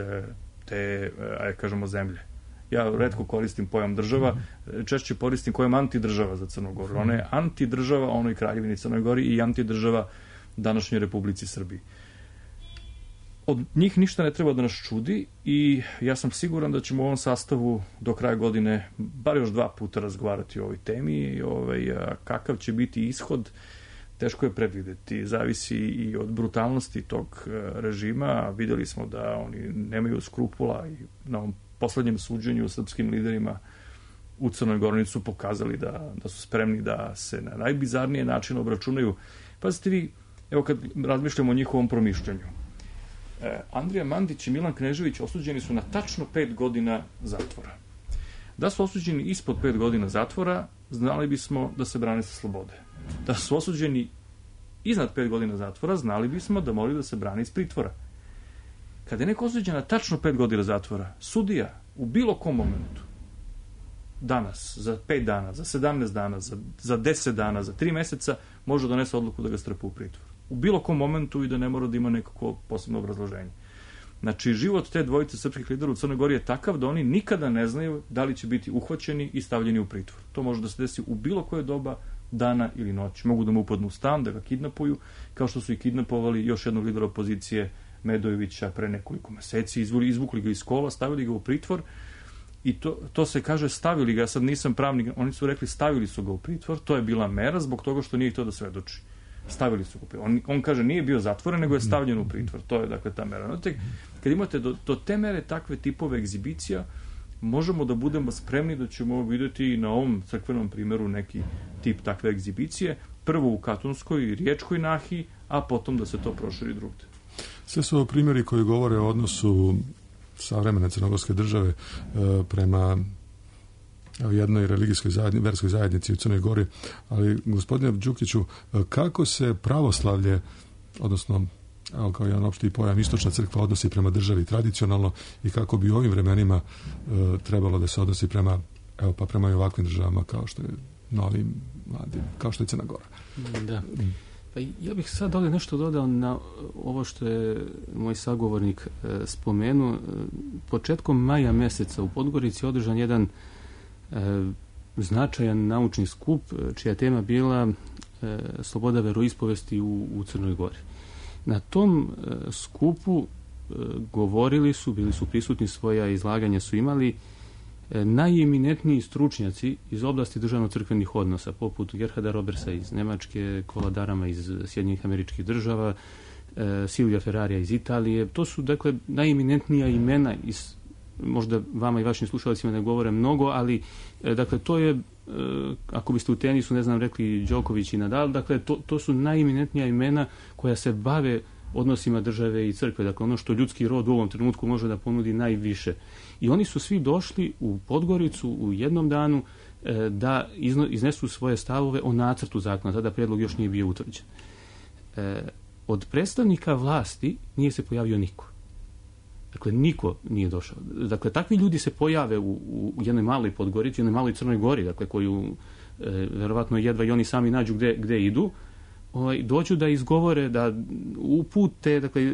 te, aj kažemo, zemlje. Ja retko koristim pojam država, češće koristim pojam antidržava za Crnu Goru. Ona je antidržava onoj kraljevini Crnoj Gori i antidržava današnjoj Republici Srbiji. Od njih ništa ne treba da nas čudi i ja sam siguran da ćemo u ovom sastavu do kraja godine bar još dva puta razgovarati o ovoj temi i ovaj, kakav će biti ishod, teško je predvideti. Zavisi i od brutalnosti tog režima. Vidjeli smo da oni nemaju skrupula i na ovom poslednjem suđenju srpskim liderima u Crnoj Gori su pokazali da, da su spremni da se na najbizarnije način obračunaju. Pazite vi, evo kad razmišljamo o njihovom promišljanju. E, Andrija Mandić i Milan Knežević osuđeni su na tačno pet godina zatvora. Da su osuđeni ispod pet godina zatvora, znali bismo da se brane sa slobode. Da su osuđeni iznad pet godina zatvora, znali bismo da moraju da se brane iz pritvora. Kada je neko osuđen na tačno pet godina zatvora, sudija u bilo kom momentu, danas, za pet dana, za sedamnaest dana, za, za deset dana, za tri meseca, može donese odluku da ga strpa u pritvor. U bilo kom momentu i da ne mora da ima nekako posebno obrazloženje. Znači, život te dvojice srpskih lidera u Crnoj Gori je takav da oni nikada ne znaju da li će biti uhvaćeni i stavljeni u pritvor. To može da se desi u bilo koje doba, dana ili noći. Mogu da mu upadnu u stan, da ga kidnapuju, kao što su i kidnapovali još jednog lidera opozicije Medojevića pre nekoliko meseci, izvuli, izvukli ga iz kola, stavili ga u pritvor i to, to se kaže stavili ga, sad nisam pravnik, oni su rekli stavili su ga u pritvor, to je bila mera zbog toga što nije htio da svedoči. Stavili su ga. On, on kaže nije bio zatvoren, nego je stavljen u pritvor. To je dakle ta mera. Znate, kad imate do, do te mere takve tipove egzibicija, možemo da budemo spremni da ćemo vidjeti na ovom crkvenom primjeru neki tip takve egzibicije, prvo u Katunskoj i Riječkoj nahiji, a potom da se to proširi drugde. Sve su ovo primjeri koji govore o odnosu savremene crnogorske države e, prema jednoj religijskoj zajednici, verskoj zajednici u Crnoj Gori, ali gospodine Đukiću, kako se pravoslavlje, odnosno evo kao jedan opšti pojam, istočna crkva odnosi prema državi tradicionalno i kako bi u ovim vremenima e, trebalo da se odnosi prema, evo pa prema i ovakvim državama kao što je Novim Mladim, kao što je Crna Gora. Da. Pa ja bih sad ovdje nešto dodao na ovo što je moj sagovornik e, spomenuo. Početkom maja meseca u Podgorici održan jedan e, značajan naučni skup čija tema bila e, sloboda veroispovesti u, u Crnoj Gori. Na tom e, skupu e, govorili su, bili su prisutni, svoja izlaganja su imali e, najeminentniji stručnjaci iz oblasti državno-crkvenih odnosa, poput Gerharda Robersa iz Nemačke, Kola Darama iz Sjedinjenih Američkih Država, e, Silvija Ferrarija iz Italije. To su, dakle, najeminentnija imena iz, možda vama i vašim slušalicima ne govore mnogo, ali, e, dakle, to je, e, ako biste u tenisu, ne znam, rekli Đoković i Nadal, dakle, to, to su najeminentnija imena koja se bave odnosima države i crkve, dakle, ono što ljudski rod u ovom trenutku može da ponudi najviše. I oni su svi došli u Podgoricu u jednom danu da iznesu svoje stavove o nacrtu zakona, tada prijedlog još nije bio utvrđen. Od predstavnika vlasti nije se pojavio niko. Dakle, niko nije došao. Dakle, takvi ljudi se pojave u, u jednoj maloj Podgorici, jednoj maloj Crnoj Gori, dakle, koju e, verovatno jedva i oni sami nađu gde, gde idu, ovaj, dođu da izgovore, da upute, dakle, e,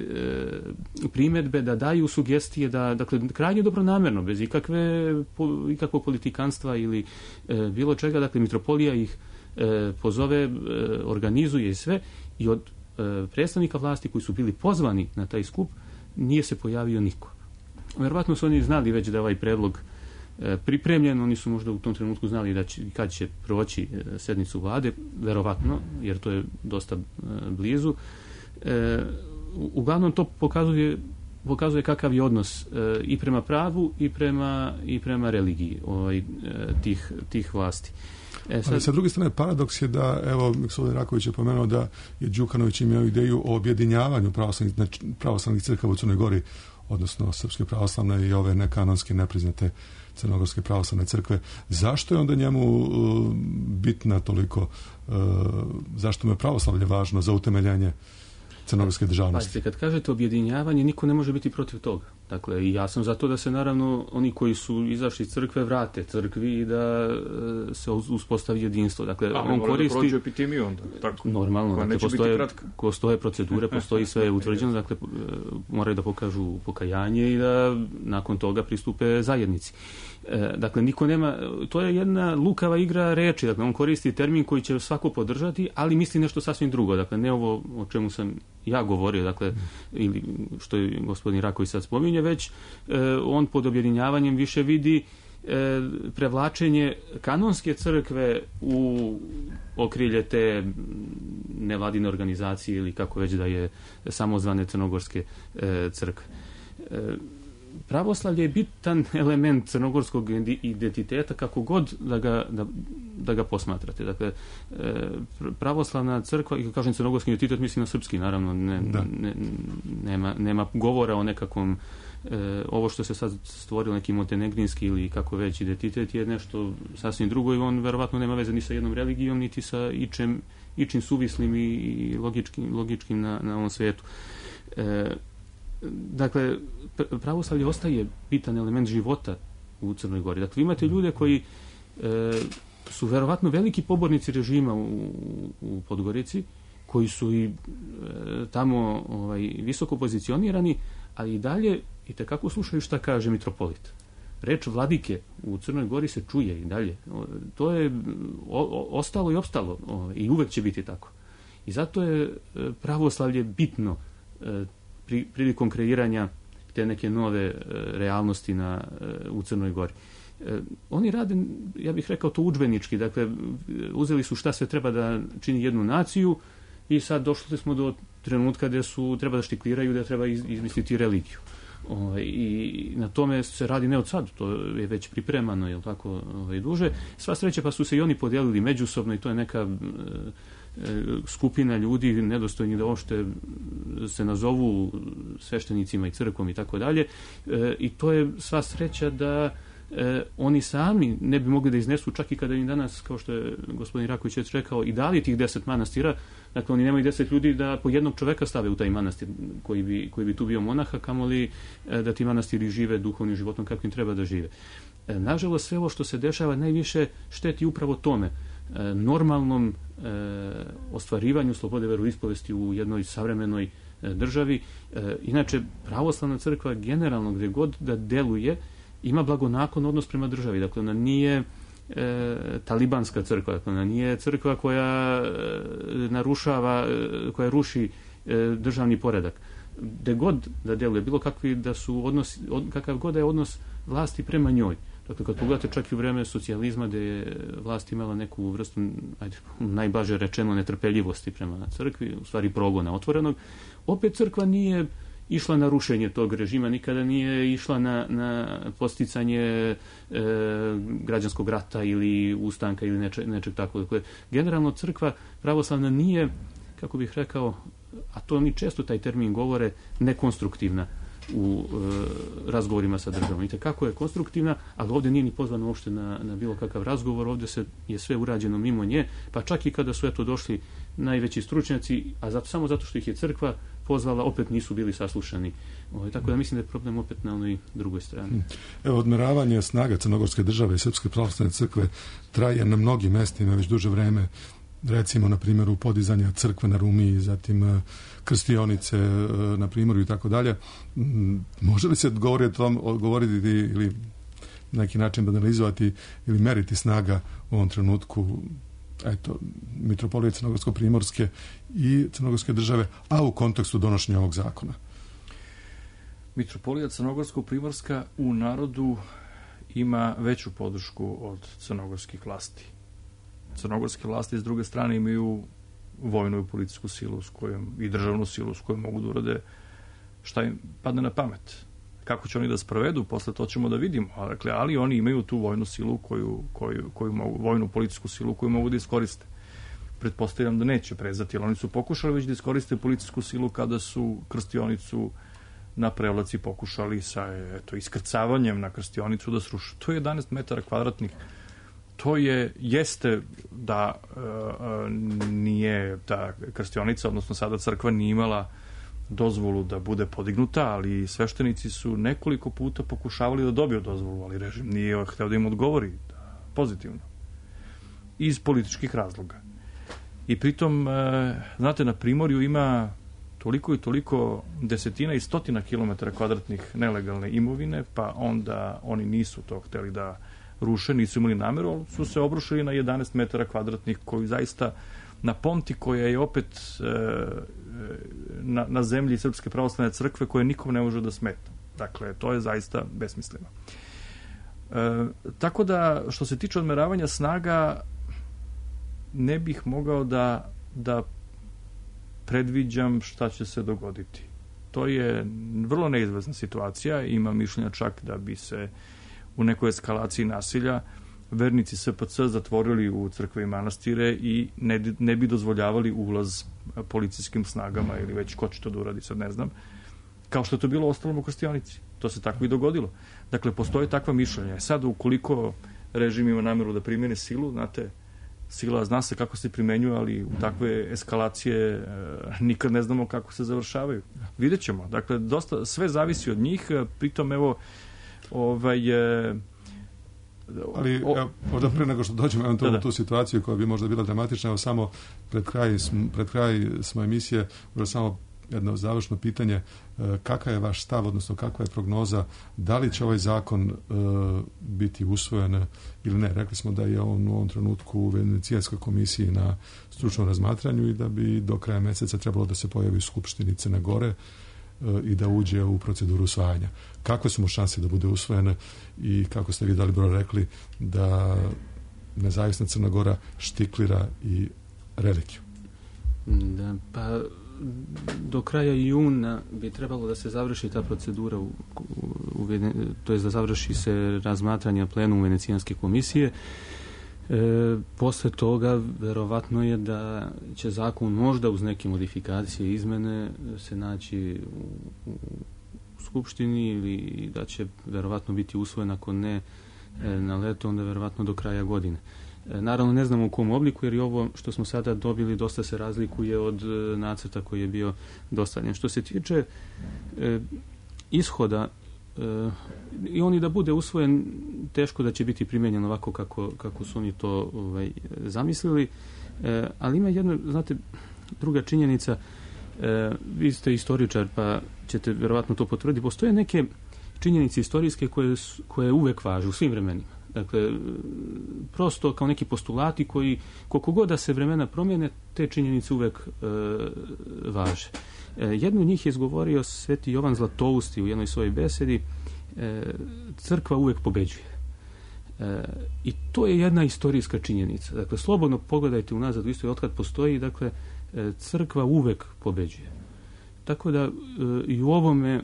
primjedbe, da daju sugestije, da, dakle, krajnje dobronamerno, bez ikakve, po, ikakvog politikanstva ili e, bilo čega, dakle, mitropolija ih e, pozove, e, organizuje i sve, i od e, predstavnika vlasti koji su bili pozvani na taj skup, nije se pojavio niko. Verovatno su oni znali već da je ovaj predlog e, pripremljen, oni su možda u tom trenutku znali da će, kad će proći e, sednicu vlade, verovatno, jer to je dosta e, blizu. E, uglavnom to pokazuje, pokazuje kakav je odnos e, i prema pravu i prema, i prema religiji ovaj, e, tih, tih vlasti. E, sad... Ali sa druge strane, paradoks je da, evo, gospodin Raković je pomenuo da je Đukanović imao ideju o objedinjavanju pravoslavnih, pravoslavnih crkava u Crnoj Gori, odnosno Srpske pravoslavne i ove nekanonske, nepriznate Crnogorske pravoslavne crkve. Zašto je onda njemu uh, bitna toliko, uh, zašto mu je pravoslavlje važno za utemeljenje crnogorske državnosti? Pazite, kad kažete objedinjavanje, niko ne može biti protiv toga. Dakle, i ja sam za to da se naravno oni koji su izašli iz crkve vrate crkvi i da e, se uspostavi jedinstvo. Dakle, A, on koristi... da prođe epidemiju onda. Tako. Normalno, dakle, postoje, postoje procedure, postoji sve utvrđeno, dakle, moraju da pokažu pokajanje i da nakon toga pristupe zajednici. E, dakle, niko nema, to je jedna lukava igra reči, dakle, on koristi termin koji će svako podržati, ali misli nešto sasvim drugo, dakle, ne ovo o čemu sam ja govorio, dakle, ili što je gospodin Raković sad spominje, već e, on pod objedinjavanjem više vidi e, prevlačenje kanonske crkve u okrilje te nevladine organizacije ili kako već da je samozvane crnogorske e, crkve. E, pravoslavlje je bitan element crnogorskog identiteta kako god da ga, da, da ga posmatrate. Dakle, pravoslavna crkva, i kažem crnogorski identitet, mislim na srpski, naravno, ne, ne, nema, nema govora o nekakvom e, ovo što se sad stvorilo neki montenegrinski ili kako već identitet je nešto sasvim drugo i on verovatno nema veze ni sa jednom religijom, niti sa ičem, ičim suvislim i, i logičkim, logičkim na, na ovom svetu. E, Dakle, pravoslavlje ostaje bitan element života u Crnoj Gori. Dakle, imate ljude koji e, su verovatno veliki pobornici režima u, u Podgorici, koji su i e, tamo ovaj, visoko pozicionirani, ali i dalje i tekako slušaju šta kaže mitropolit. Reč vladike u Crnoj Gori se čuje i dalje. To je o, o, ostalo i opstalo o, i uvek će biti tako. I zato je pravoslavlje bitno e, Pri, prilikom kreiranja te neke nove e, realnosti na, e, u Crnoj Gori. E, oni rade, ja bih rekao to udžbenički, dakle, uzeli su šta sve treba da čini jednu naciju i sad došli smo do trenutka gde su treba da štikliraju, da treba iz, izmisliti religiju. O, i na tome se radi ne od sad, to je već pripremano, je li tako, ovaj, duže. Sva sreća pa su se i oni podijelili međusobno i to je neka e, skupina ljudi nedostojni da uopšte se nazovu sveštenicima i crkvom i tako dalje. I to je sva sreća da e, oni sami ne bi mogli da iznesu čak i kada im danas, kao što je gospodin Raković već rekao, i dali tih deset manastira, dakle oni nemaju deset ljudi da po jednog čoveka stave u taj manastir koji bi, koji bi tu bio monaha, kamoli e, da ti manastiri žive duhovnim životom kakvim treba da žive. E, nažalost, sve ovo što se dešava najviše šteti upravo tome, e, normalnom e, ostvarivanju slobode veroispovesti u jednoj savremenoj e, državi. E, inače, pravoslavna crkva generalno gdje god da deluje ima blagonaklon odnos prema državi. Dakle, ona nije e, talibanska crkva, dakle, ona nije crkva koja e, narušava, e, koja ruši e, državni poredak. Gde god da deluje, bilo kakvi da su odnosi, od, kakav god da je odnos vlasti prema njoj. Dakle, kad pogledate čak i u vreme socijalizma gde je vlast imala neku vrstu, ajde, najblaže rečeno, netrpeljivosti prema crkvi, u stvari progona otvorenog, opet crkva nije išla na rušenje tog režima, nikada nije išla na, na posticanje e, građanskog rata ili ustanka ili neče, nečeg tako. Dakle, generalno crkva pravoslavna nije, kako bih rekao, a to oni često taj termin govore, nekonstruktivna. u e, razgovorima sa državom. I kako je konstruktivna, ali ovdje nije ni pozvana uopšte na, na bilo kakav razgovor, ovdje se je sve urađeno mimo nje, pa čak i kada su eto došli najveći stručnjaci, a zato, samo zato što ih je crkva pozvala, opet nisu bili saslušani. Ovo, tako da mislim da je problem opet na onoj drugoj strani. Evo, odmeravanje snaga Crnogorske države i Srpske pravoslavne crkve traje na mnogim mestima već duže vreme. Recimo, na primjeru podizanja crkve na Rumiji, zatim krstionice na primjeru i tako dalje. Može li se govoriti, tom, govoriti ili na neki način banalizovati ili meriti snaga u ovom trenutku eto, mitropolije Crnogorsko-primorske i Crnogorske države, a u kontekstu donošenja ovog zakona? Mitropolija Crnogorsko-primorska u narodu ima veću podršku od crnogorskih vlasti. Crnogorske vlasti s druge strane imaju vojnu i policijsku silu s kojom, i državnu silu s kojom mogu da urade šta im padne na pamet. Kako će oni da sprovedu, posle to ćemo da vidimo. Dakle, ali oni imaju tu vojnu silu koju, koju, koju mogu, vojnu policijsku silu koju mogu da iskoriste. Pretpostavljam da neće prezati, ali oni su pokušali već da iskoriste policijsku silu kada su krstionicu na Prevlaci pokušali sa eto, iskrcavanjem na krstionicu da sruše. To je jedanaest metara kvadratnih. To je, jeste da e, nije ta krstionica, odnosno sada crkva nije imala dozvolu da bude podignuta, ali sveštenici su nekoliko puta pokušavali da dobiju dozvolu, ali režim nije hteo da im odgovori da, pozitivno. Iz političkih razloga. I pritom, e, znate, na Primorju ima toliko i toliko desetina i stotina kilometara kvadratnih nelegalne imovine, pa onda oni nisu to hteli da ruše, nisu imali nameru, ali su se obrušili na jedanaest metara kvadratnih koji zaista na Ponti koja je opet e, na, na zemlji Srpske pravoslavne crkve koje nikom ne može da smeta. Dakle, to je zaista besmisleno. E, tako da, što se tiče odmeravanja snaga, ne bih mogao da, da predviđam šta će se dogoditi. To je vrlo neizvesna situacija, ima mišljenja čak da bi se u nekoj eskalaciji nasilja vernici S P C zatvorili u crkve i manastire i ne, ne bi dozvoljavali ulaz policijskim snagama ili već ko će to da uradi, sad ne znam, kao što je to bilo ostalo u krstionici. To se tako i dogodilo. Dakle, postoje takva mišljenja. Sad, ukoliko režim ima namjeru da primjene silu, znate, sila zna se kako se primenjuje, ali u takve eskalacije e, nikad ne znamo kako se završavaju. Vidjet ćemo. Dakle, dosta, sve zavisi od njih, pritom, evo, ovaj... E, ali o, možda pre nego što dođemo eventualno u tu situaciju koja bi možda bila dramatična, evo samo pred kraj, pred kraj smo emisije, možda samo jedno završno pitanje, kakav je vaš stav, odnosno kakva je prognoza, da li će ovaj zakon uh, biti usvojen ili ne? Rekli smo da je on u ovom trenutku u Venecijanskoj komisiji na stručnom razmatranju i da bi do kraja mjeseca trebalo da se pojavi u Skupštini Crne Gore uh, i da uđe u proceduru usvajanja. Kakve su mu šanse da bude usvojene i kako ste vi Dalibor rekli da nezavisna Crna Gora štiklira i relikviju? Da, pa do kraja juna bi trebalo da se završi ta procedura, u, u, u, to je da završi se razmatranje plenumu Venecijanske komisije. E, posle toga verovatno je da će zakon možda uz neke modifikacije i izmene se naći u, u Skupštini ili da će verovatno biti usvojen, ako ne e, na leto, onda verovatno do kraja godine. Naravno, ne znamo u kom obliku, jer i ovo što smo sada dobili dosta se razlikuje od e, nacrta koji je bio dostavljen. Što se tiče e, ishoda, e, i on i da bude usvojen, teško da će biti primenjen ovako kako, kako su oni to ovaj, zamislili, e, ali ima jedna, znate, druga činjenica, e, vi ste istoričar, pa ćete verovatno to potvrditi, postoje neke činjenice istorijske koje, koje uvek važe u svim vremenima. Dakle, prosto kao neki postulati koji, koliko god da se vremena promijene, te činjenice uvek e, važe. E, jednu od njih je izgovorio sveti Jovan Zlatousti u jednoj svojoj besedi, e, crkva uvek pobeđuje. E, I to je jedna istorijska činjenica. Dakle, slobodno pogledajte unazad u istoj otkad postoji, dakle, e, crkva uvek pobeđuje. Tako da e, i u ovome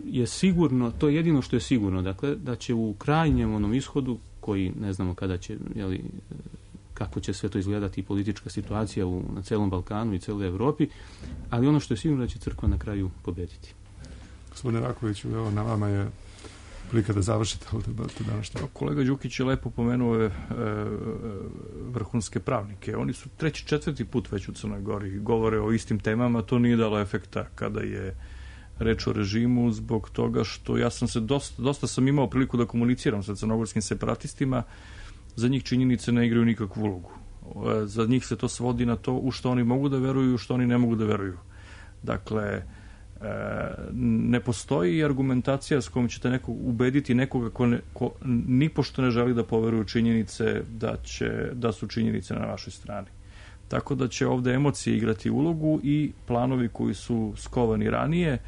je sigurno, to je jedino što je sigurno, dakle, da će u krajnjem onom ishodu, koji ne znamo kada će, jeli, kako će sve to izgledati i politička situacija u, na celom Balkanu i celoj Evropi, ali ono što je sigurno da će crkva na kraju pobediti. Gospodine Rakoviću, evo na vama je prilika da završite ovu debatu današnje. Kolega Đukić je lepo pomenuo e, vrhunske pravnike. Oni su treći, četvrti put već u Crnoj Gori, govore o istim temama, to nije dalo efekta kada je reč o režimu, zbog toga što ja sam se dosta, dosta sam imao priliku da komuniciram sa crnogorskim separatistima, za njih činjenice ne igraju nikakvu ulogu. Za njih se to svodi na to u što oni mogu da veruju, u što oni ne mogu da veruju. Dakle, ne postoji argumentacija s kojom ćete neko, ubediti nekoga ko, ne, ko nipošto ne želi da poveruje činjenice da, će, da su činjenice na vašoj strani. Tako da će ovde emocije igrati ulogu i planovi koji su skovani ranije,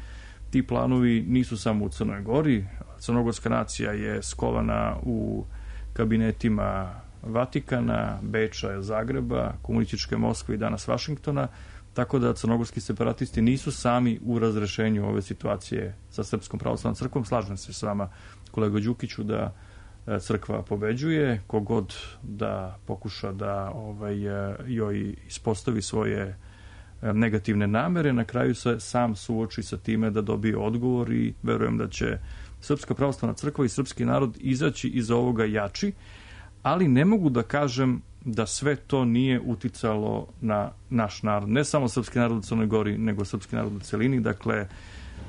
ti planovi nisu samo u Crnoj Gori, crnogorska nacija je skovana u kabinetima Vatikana, Beča, Zagreba, komunističke Moskve i danas Vašingtona, tako da crnogorski separatisti nisu sami u razrešenju ove situacije sa Srpskom pravoslavnom crkvom. Slažem se s vama, kolega Đukiću, da crkva pobeđuje, kogod da pokuša da ovaj, joj ispostavi svoje negativne namere, na kraju se sam suoči sa time da dobije odgovor i verujem da će Srpska pravoslavna crkva i srpski narod izaći iz ovoga jači, ali ne mogu da kažem da sve to nije uticalo na naš narod. Ne samo srpski narod u Crnoj Gori, nego srpski narod u celini. Dakle,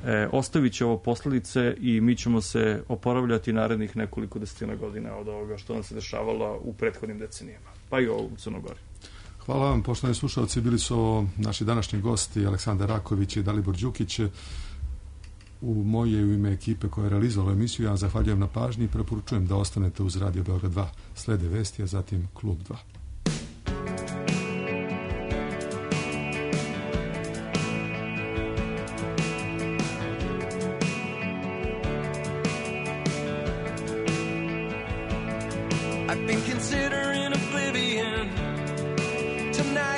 e, ostavit će ovo posledice i mi ćemo se oporavljati narednih nekoliko desetina godina od ovoga što nam se dešavalo u prethodnim decenijama, pa i ovo u Crnoj Gori. Hvala vam, poštovani slušalci, bili su naši današnji gosti Aleksandar Raković i Dalibor Đukić. U moje u ime ekipe koja je realizovala emisiju, ja vam zahvaljujem na pažnji i preporučujem da ostanete uz Radio Beograd dva. Slede vesti, a zatim Klub dva. I've been considering oblivion tonight.